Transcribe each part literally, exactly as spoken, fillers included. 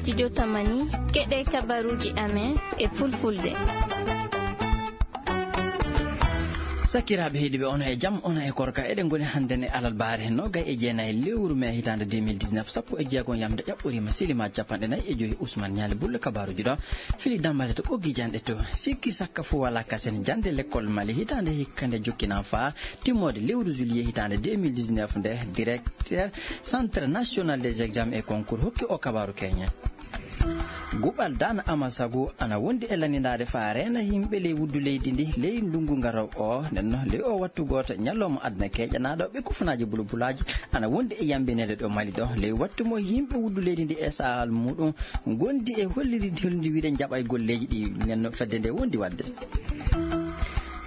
Studio Tamani, keɗee kabaruuji amen e Fulfulde. Sakiraaɓe heɗiiɓe, onon e jam, onon e korka. Eɗen ngoni hannden e alarbaare noogay e jeenay lewru mee hitaande deux mille dix-neuf, sappo e jeego yamnde ƴaɓɓoriima, silimaa cappanɗe nayi e joy. Usman Ñaali Bulle, kabaaruuji ɗo fili dammale to ɓoggi janɗe to. Sikki sakka fuu walaa kasen, jannde lekkol Mali hitaande hikka nde jokkinaa faa timmoode lewru juillet hitaande deux mille dix-neuf nde, directeur Centre National des Examens et Concours hokki oo kabaaru keñen. Guɓal Daana Amasagu ana wondi e lanndinaade faa reena yimɓe ley wuddu leydi ndii ley ndunngu garoowo oo. Nden non, ley oo wattu gooto, ñalawma aduna keeƴanaaɗo, ɓe kufunaaji bulbulaaji ana wondi e yambineede ɗo Mali ɗo. Ley wattu mo yimɓe wuddu leydi ndii e sahal muuɗum ngondi e hollirde, hollirde wiide njaɓay golleeji ɗi nden non fedde ndee wondi waɗde.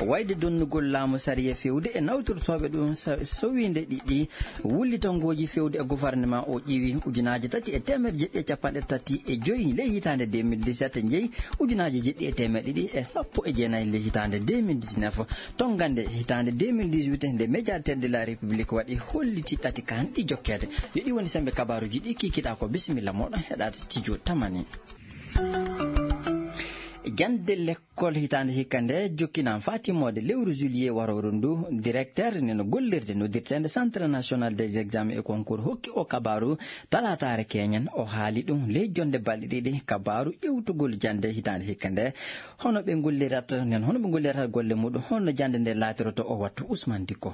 Wayde donnugol laamu sariya feewde e nawtortooɓe ɗum sa-, sowiinde ɗiɗi, wullitangooji feewde e gofarnemaa oo ƴiwi ujunaaji tati e teemedde jeɗɗi e cappanɗe tati e joy ley hitaande deux mille dix-sept, njeyi ujunaaji jeɗɗi e teemedde ɗiɗi e sappo e jeenay ley hitaande deux mille dix-neuf, tonngande hitaande deux mille dix-huit nde médiateur de la République waɗi holliti ɗati kaan ɗi jokkeede. Yo ɗi woni semmbe kabaaruuji ɗi kiikiɗaa ko. Bisimilla mooɗon heɗaade studio Tamani. Jannde lekkol hitaande hikka nde jokkinaa faa timmoode lewru juillet warooru nduu. Directeur nden gollirde noddirteende Centre National des Examens et Concours hokki oo kabaaru talaataare keeñen. O haali ɗum ley jonnde balɗe ɗiɗi kabaaru iwtugol jannde hitaande hikka nde. Hono ɓe ngollirata nden, hono ɓe ngollirata golle muuɗum, hono jannde nde laatirotoo oo wattu. Usman Dikko.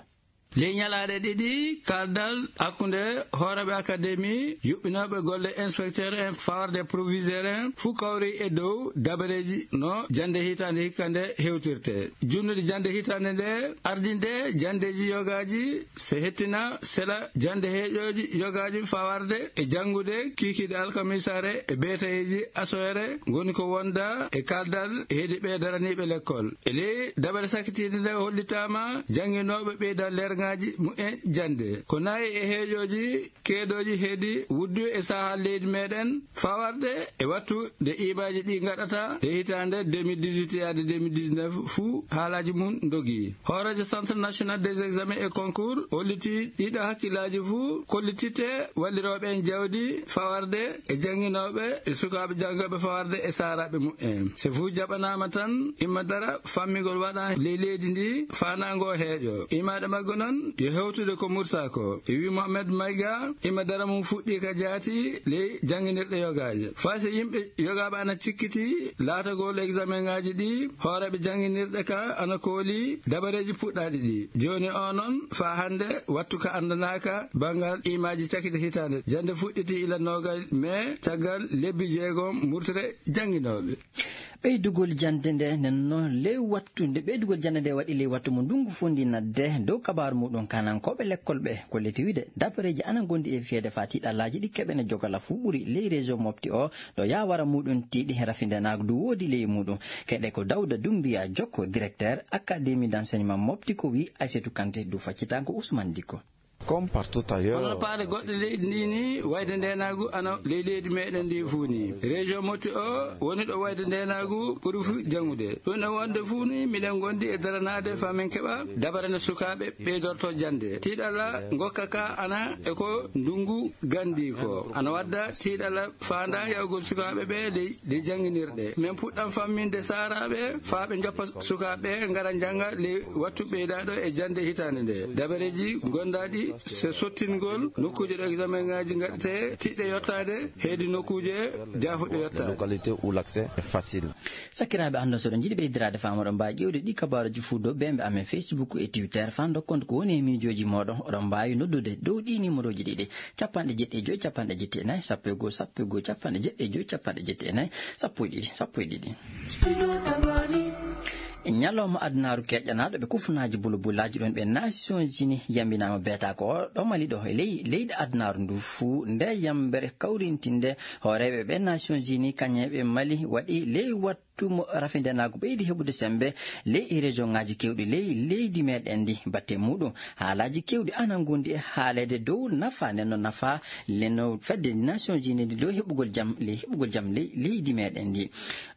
Ley ñalaaɗe ɗiɗi, kaaldal hakkunde hooreeɓe akademi, yuɓɓinooɓe golle inspecteur en, fawarde proviseur en, fuu kawri e dow dabareeji no jannde hitaande hikka nde hewtirtee. Junnude jannde hitaande nde, ardinde janndeeji yogaaji, se hettina sela jannde heeƴooji yogaaji fawarde e janngude kiikiiɗe alkamisaare e beetayeeji asoore ngoni ko wonda e kaaldal heedi ɓee daraniiɓe lekkol. E ley dabare sakkitiinde nde hollitaama jannginooɓe ɓeydan leerŋaaji mumen jannde. Ko nayi e heeƴooji keedooji heedi wuddu e sahal leydi meɗen, fawarde e wattu nde imaaji ɗi ngaɗata e hitaande deux mille dix-huit yaade deux mille dix-neuf fuu haalaaji mum ndogii. Hooreejo Centre National des Examens et Concours holliti ɗiɗo hakkillaaji fuu kollititte wallirooɓe en jawdi fawarde e jannginooɓe e sukaaɓe janngooɓe fawarde e saaraaɓe mumen. Se fuu jaɓanaama tan, imma dara fammingol waɗa ley leydi ndi, faandaango heeƴo. Imaaɗe maggo non, yo hewtude ko mursaa ko. E wii Mohamed Mayga, imma dara mum fuɗɗii ka jaati ley jannginirɗe yogaaje. Faa se yimɓe yogaaɓe ana cikkiti laatagol eksamenŋaaji ɗi, hooreeɓe jannginirɗe ka ana kooli dabareeji puɗɗaaɗi ɗi. Jooni oo non, faa hannde, wattu ka anndanaaka banngal imaaji cakite hitaande. Jannde fuɗɗitii ila noogay mee caggal lebbi jeegom murtere jannginooɓe. Ɓeydugol jannde nde nden non ley wattu nde, ɓeydugol jannde nde waɗi ley wattu mo ndunngu fondi nadde. Dow kabaaru muuɗum, kanankooɓe lekkol ɓe kolliti wiide dabareeji ana ngondi e fiyeede faa tiiɗallaaji ɗi keɓene jogala fuu ɓuri ley région Mopti oo, ɗo yaawara muuɗum tiiɗi, rafi ndeenaagu du woodi ley muuɗum. Keɗee ko Dawda Dummbiya Jokko, directeur Académie d'enseignement Mopti, ko wii Aysatu Kante du faccitaango Usman Dikko. Comme partout ailleurs, hono no paale goɗɗe leydi ndi ni, wayde ndeenaagu ana ley leydi meɗen ndi fuu ni. Région Mopti o woni ɗo wayde ndeenaagu ɓuri fuu jaŋude. Ɗum ɗo wonde fuu ni, miɗen ngondi e daranaade faa min keɓa dabare no sukaaɓe ɓeydorto jannde. Tiiɗalla ngokka ka ana e ko ndunngu gandi ko. Ana wadda tiiɗalla faanda yawgol sukaaɓe ɓe ley, ley jannginirɗe. Min puɗɗan famminde saaraaɓe faa ɓe njoppa sukaaɓe ɓe ngara njannga ley wattu ɓeydaaɗo e jannde hitaande nde. Dabareeji gondaaɗi se sottingol nokkuuje ɗo eksamenŋaaji ngaɗetee tiɗɗe yottaade heedi nokkuuje jaafuɗe yottaade. Localité où l'accès est facile. Sakiraaɓe, anndon so oɗon njiɗi ɓeydiraade faamu, oɗon mbaawi ƴeewde ɗii kabaaruuji fuu dow beembe amen Facebook e Twitter faa ndokkon ko woni e miijooji mooɗon. Oɗon mbaawi noddude dow ɗii niimorooji ɗiɗi, cappanɗe jeɗɗi e joy, cappanɗe jeɗɗi e nayi, sappo e goo, sappo e goo, cappanɗe jeɗɗi e joy, cappanɗe jeɗɗi e nayi, sappo e ɗiɗi, sappo e ɗiɗi. Ñalawma adunaaru keƴanaaɗo ɓe kufunaaji bulbulaaji ɗum ɓe Nations Unies yambinaama beetaako oo ɗo Mali ɗo e ley leyɗe adunaaru nduu fuu. Ndee yambere kawrintinde hooreeɓe ɓe Nations Unies kañe ɓe Mali waɗi ley wat- wattu mo rafindenaagu ɓeydi heɓude semmbe ley e regionŋaaji keewɗi ley leydi meeɗen ndi. Batte muuɗum, haalaaji keewɗi ana ngondi e haaleede dow nafa nden no nafa le no fedde Nations Unies ndi dow heɓugol jam ley heɓugol jam ley leydi meeɗen ndi.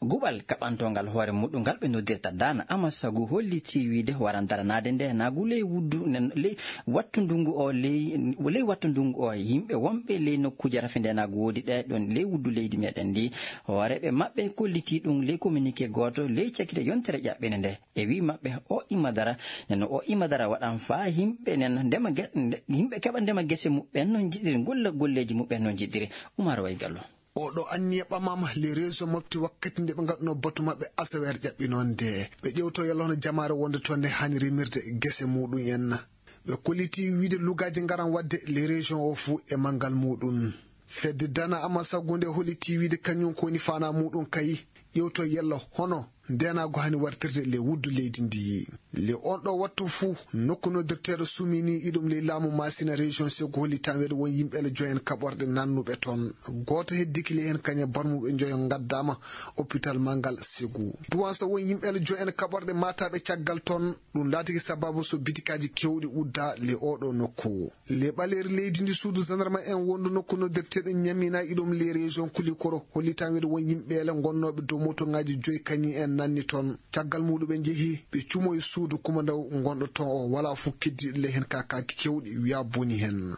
Guɓal kaɓantongal hoore muuɗum ngal ɓe noddirta Dana Amasagu hollitii wiide waran daranaade ndeenaagu ley wuddu nen ley wattu ndungu o ley ley wattu ndungu o yimɓe wonɓe ley nokkuuje rafindenaagu woodi ɗe ɗon ley wuddu leydi meeɗen ndi. Hooreeɓe maɓɓe kollitii ɗum ley communiqué gooto ley cakkite yontere ƴaɓɓende nde. E wii maɓɓe, o imma dara nden o imma dara waɗan faa yimɓe nen ndema ge- nde- yimɓe keɓa ndema gese muɓɓen no njiɗiri, golla golleeji muɓɓen no njiɗiri. Umar Waygallo. Oɗo anniya ɓamama les régions mofti wakkati nde ɓe ngaɗuno batu maɓɓe asaweere ƴaɓɓinoonde. Ɓe ƴewto yalla hono jamaare wonde toon nde haani remirde gese muɗum en. Ɓe kolliti wiide lugaaji ngaran waɗde les régions o fuu e manngal muɗum. Fedde Dana Amasagu nde holliti wiide kañum ko woni faanaa muɗum kay ƴewto yalla hono ndeenaagu haani wartirde ley wuddu leydi ndi. Ley oon ɗoo wattu fuu, nokku noddirteeɗo Sumini iɗum ley laamu Maasina, région Segu, holli tan weeɗo won yimɓe ele joy en kaɓorɗe nannuɓe toon. Gooto heddiki ley heen kañe barmuɓe njoyo ngaddaama oppital manngal Segu. Duwansa won yimɓe ele joy en kaɓorɗe maataaɓe caggal toon. Ɗum laatiki sababu so bitikaaji keewɗi uddaa ley oo ɗoo nokku. Ley ɓaleeri leydi ndi suudu gendarme en wondu nokku noddirteeɗo Ñamina iɗum ley région Kulikoro holli tan wiyde won yimɓe ele ngonnooɓe dow motoŋaaji joyi kañi en nanni toon. Caggal muɗum ɓe njehi ɓe cumo e suudu kumandaw ngonɗo toon o walaa fof keddiiɗo ley heen ka kaaki keewɗi wiyaa boni heen.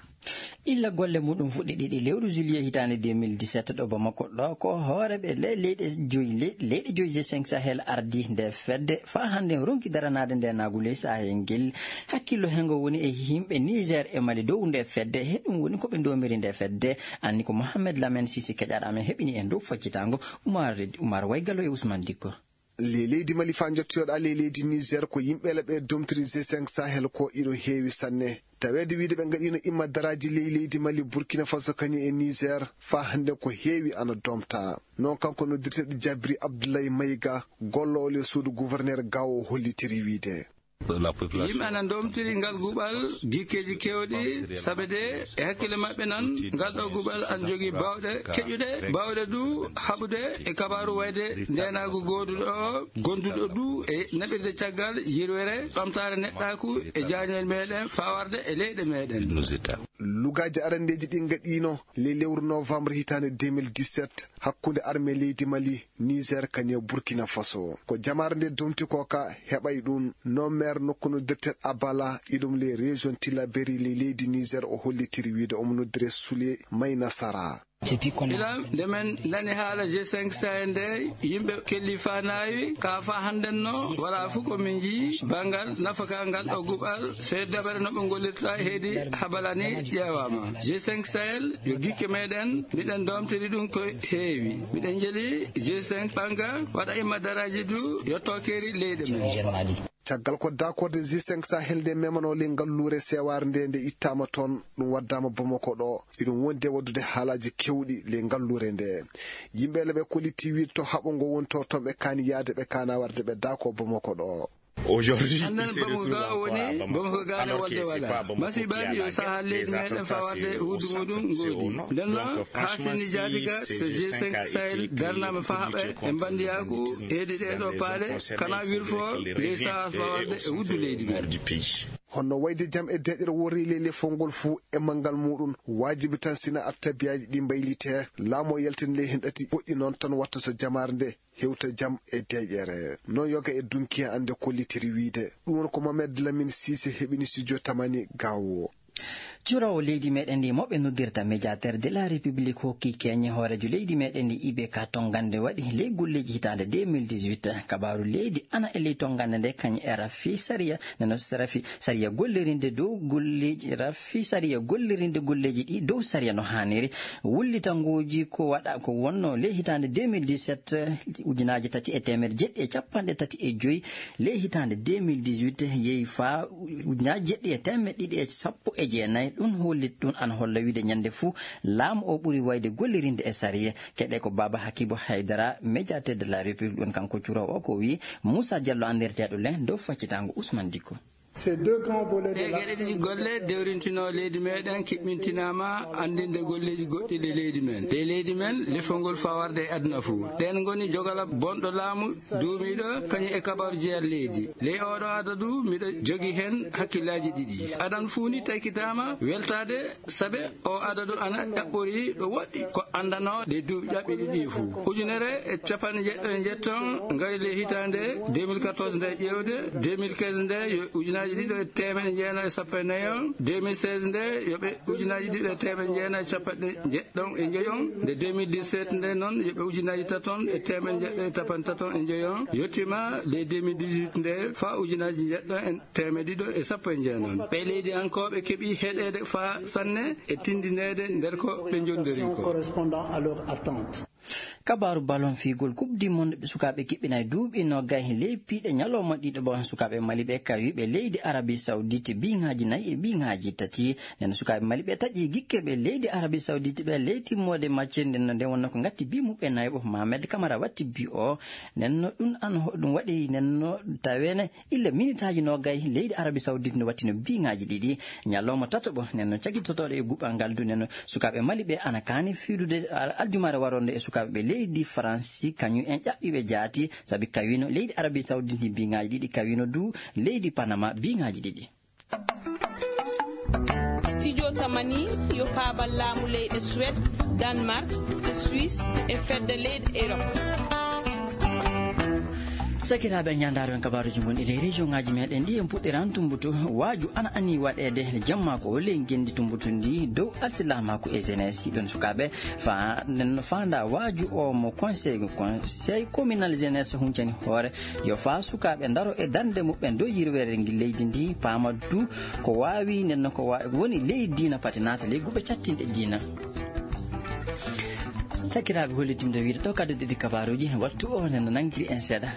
Illa golle muɗum fuɗɗi ɗiɗi lewru juillet hitaande deux mille dix-sept ɗo Bamako ɗo ko hoore ɓe le leyɗe joyi le leyɗe joyi G cinq Sahel ardi nde fedde faa hannde ronki daranaade nde naagu ley Sahel ngel. Hakkillo hengo woni e yimɓe Niger e Mali dow nde fedde he ɗum woni ko ɓe ndomiri nde fedde. Anni ko Mohamed Lamen Sisi keƴaɗo amen heɓini en dow faccitaango. Umar Reddi Umar Waygalo e Ousmane Dikko. Ley leydi Mali faa njottoyoɗaa ley leydi Niger ko yimɓe laɓe domtiri G cinq Sahel ko iɗo heewi sanne. Taweede wiide ɓe ngaɗiino imma daraaji ley leydi Mali, Burkina Faso kañum e Niger faa hannde ko heewi ana domta. Noon kanko noddirteeɗo Jabri Abdullahi Mayiga, golloowo ley suudu gouverneur Gao hollitiri wiide. Yimɓe ana ndomtiri ngal guɓal gikkeeji keewɗi, sabe de e hakkille maɓɓe nan, ngal ɗoo guɓal ana jogii baawɗe keƴuɗe, baawɗe du haɓude e kabaaru wayde ndeenaagu gooduɗo o, gonduɗo du e naɓirde caggal yirwere, ɓamtaare neɗɗaaku e jaañel meeɗen, faa warde e leyɗe meeɗen. Lugaaji arandeeji ɗi ngaɗiino ley lewru novembre hitaande deux mille dix-sept, hakkunde armée leydi Mali, Niger kañum e Burkina Faso. Ko jamaare nde domti ko ka heɓay ɗum. No maire nokku noddirteeɗo Abala, iɗum ley région Tillabéri ley leydi Niger, o hollitiri wiide omo noddire Sule Maynasara. Ilam, nde men nani haala G cinq Sahel nde, yimɓe kelli faa naawi, kaa faa hannden no, walaa fof ko min njii banngal nafakaa ngal ɗoo guɓal, fee daɓere no ɓe ngollirta heedi habalani ƴeewaama. G cinq Sahel yo gikke meeɗen, miɗen doomtiri ɗum ko heewi. Miɗen njeli G cinq ɓannga, waɗa imma daraaji du, yotto keeri leyɗe men. Caggal ko daakorde G cinq Sahel nde memanoo ley ngalluure seewaare nde, nde ittaama toon, ɗum waddaama Bamako ɗo. Iɗum wondi e waɗdude haalaaji keewɗi ley ngalluure nde. Yimɓe ele ɓe kollitii wiide to haɓo ngo woni to, toon ɓe kaani yahde, ɓe kaana warde, ɓe daakoo Bamako ɗo. Aujourd'hui, Hannden Bamako ga o woni, Bamako ga ne wolde wala. Masibaaji yo sahaa leydi meeɗen faa warde huudu muɗum ngoodi. Nden noon, Haasini Jaatiga, so G cinq Sahel darnaama faa haɓa e mbandiyaaku, heedi ɗee ɗoo paale, kana wirfo ley sahaa faa warde e wuddu leydi men. Honno wayde jam e deeƴere worri ley lefol ngol fuu e manngal muuɗum, waajibi tan sina attabiyaaji ɗi mbaylitee, laamu o yaltina ley heen ɗati, goɗɗi noon tan watta so jamaare nde hewta jam e deeƴere. Noon yoga e dunki en annde kollitiri wiide. Ɗum woni ko Mohamed Lamine Cissé heɓini studio Tamani Gawo. Cuuroowo leydi meeɗen ndi mo ɓe noddirta médiateur de la République hokki keeñe hooreejo leydi meeɗen ndi I B K tonngande waɗi ley golleeji hitaande deux mille dix-huit. Kabaaru leydi ana e ley tonngande nde kañum e rafi sariya nano rafi sariya gollirinde dow golleeji rafi sariya gollirinde golleeji ɗi dow sariya no haaniri. Wullitangooji ko waɗa ko wonno ley hitaande deux mille dix-sept, ujunaaji tati e teemedde jeɗɗi e cappanɗe tati e joy ley hitaande deux mille dix-huit yehi faa ujunaaji jeɗɗi e teemedde ɗiɗi e sappo e jeenay. Ɗum holli ɗum ana holla wiide ñannde fuu laamu o ɓuri wayde gollirinde e sariya. Keɗe ko Baaba Hakibu Haydara, médiateur de la République, ɗum kanko cuuroowo o ko wii. Moussa Diallo anndirteeɗo len dow faccitaango Ousmane Dikko. Ɗee geɗe ɗiɗi golle dewrintinoo leydi meeɗen kiɓɓintinaama anndinde golleeji goɗɗi ɗi leydi men ɗe leydi men lefol ngol faa warde e aduna fuu. Ɗeen ngoni jogala bonɗo laamu duumiiɗo kañum e kabaaru jeyal leydi. Ley ooɗo adadu miɗo jogi heen hakkillaaji ɗiɗi. Adan fuu ni taykitaama weltaade sabe oo adadu ana ƴaɓɓori ɗo woɗɗi ko anndanoo ɗe duuɓi ƴaɓɓiɗi ɗii fuu. Ujunere e capanɗe njeɗɗo e njeɗɗo ngari ley hitaande deux mille quatorze nde ƴeewde, deux mille quinze nde yo ujunaaji ɗiɗo e teemeɗɗe jeenayi e sappo e nayon, deux mille seize nde yo ɓe ujunaaji ɗiɗo e teemeɗɗe jeenayi e capanɗe njeɗɗo e njoyon, nde deux mille dix-sept nde noon yo ɓe ujunaaji taton e teemeɗɗe njeɗɗo e capanɗe taton e njoyon, yottiima nde deux mille dix-huit nde faa ujunaaji njeɗɗo e teemeɗɗe ɗiɗo e sappo e jeenayi. Ɓee leydi ankooɓe keɓi heɗeede faa sanne e tindineede nder ko ɓe njondori ko. Correspondant à leur attente. Kabaaru balon fiyugol Coupe du Monde ɓe sukaaɓe kiɓɓinay duuɓi noogay ley piiɗe ñalawma ɗiɗo ɓo sukaaɓe Mali ɓe kawi ɓe leydi Arabie Saoudite biŋaaji nayi e biŋaaji tati. Nden sukaaɓe Mali ɓe taƴi gikke ɓe leydi Arabie Saoudite ɓe ley timmoode macce nden no nden wonno ko ngatti bi muɓɓe nayo ɓo Mohamed Kamara watti bi o. Nden no ɗum an hoɗum waɗi nden no tawene illa minitaaji noogay leydi Arabie Saoudite no wattino biŋaaji ɗiɗi. Ñalawma tataɓo nden no cagitotooɗo e guɓal ngal du nden no sukaaɓe Mali ɓe ana kaani fiidude al- aljumaare waronde e sukaaɓe ɓe leydi Faransi kañum en ƴaɓɓiiɓe jaati sabi kawino leydi Arabie Saoudite ndi biŋaaji ɗiɗi kawino du leydi Panama biŋaaji ɗiɗi. Studio Tamani yo paabal laamu leyɗe Suède, Danemark, Suisse e fedde leyɗe Europe. Sakiraaɓe, ñaandaaro en kabaaruuji ngonɗi ley région ŋaaji meeɗen ɗi en puɗɗiran Tumbatu. Waaju ana anii waɗeede jamma ko ley ngenndi Tumbatu ndi dow alsilaamaaku e jeunesse ɗon sukaaɓe. Faa nden no faandaa waaju o mo conseil, conseil communal jeunesse huncani hoore. Yo faa sukaaɓe ndaro e darnde muɓɓen dow yirweere ngi leydi ndi, paama du ko waawi nden no ko wa- woni ley diina pati naata ley guɓe cattinɗe diina. Sakiraaɓe, hollitinde wiide ɗo kaddu ɗiɗi kabaaruuji wattu o nden no nanngiri en seeɗa.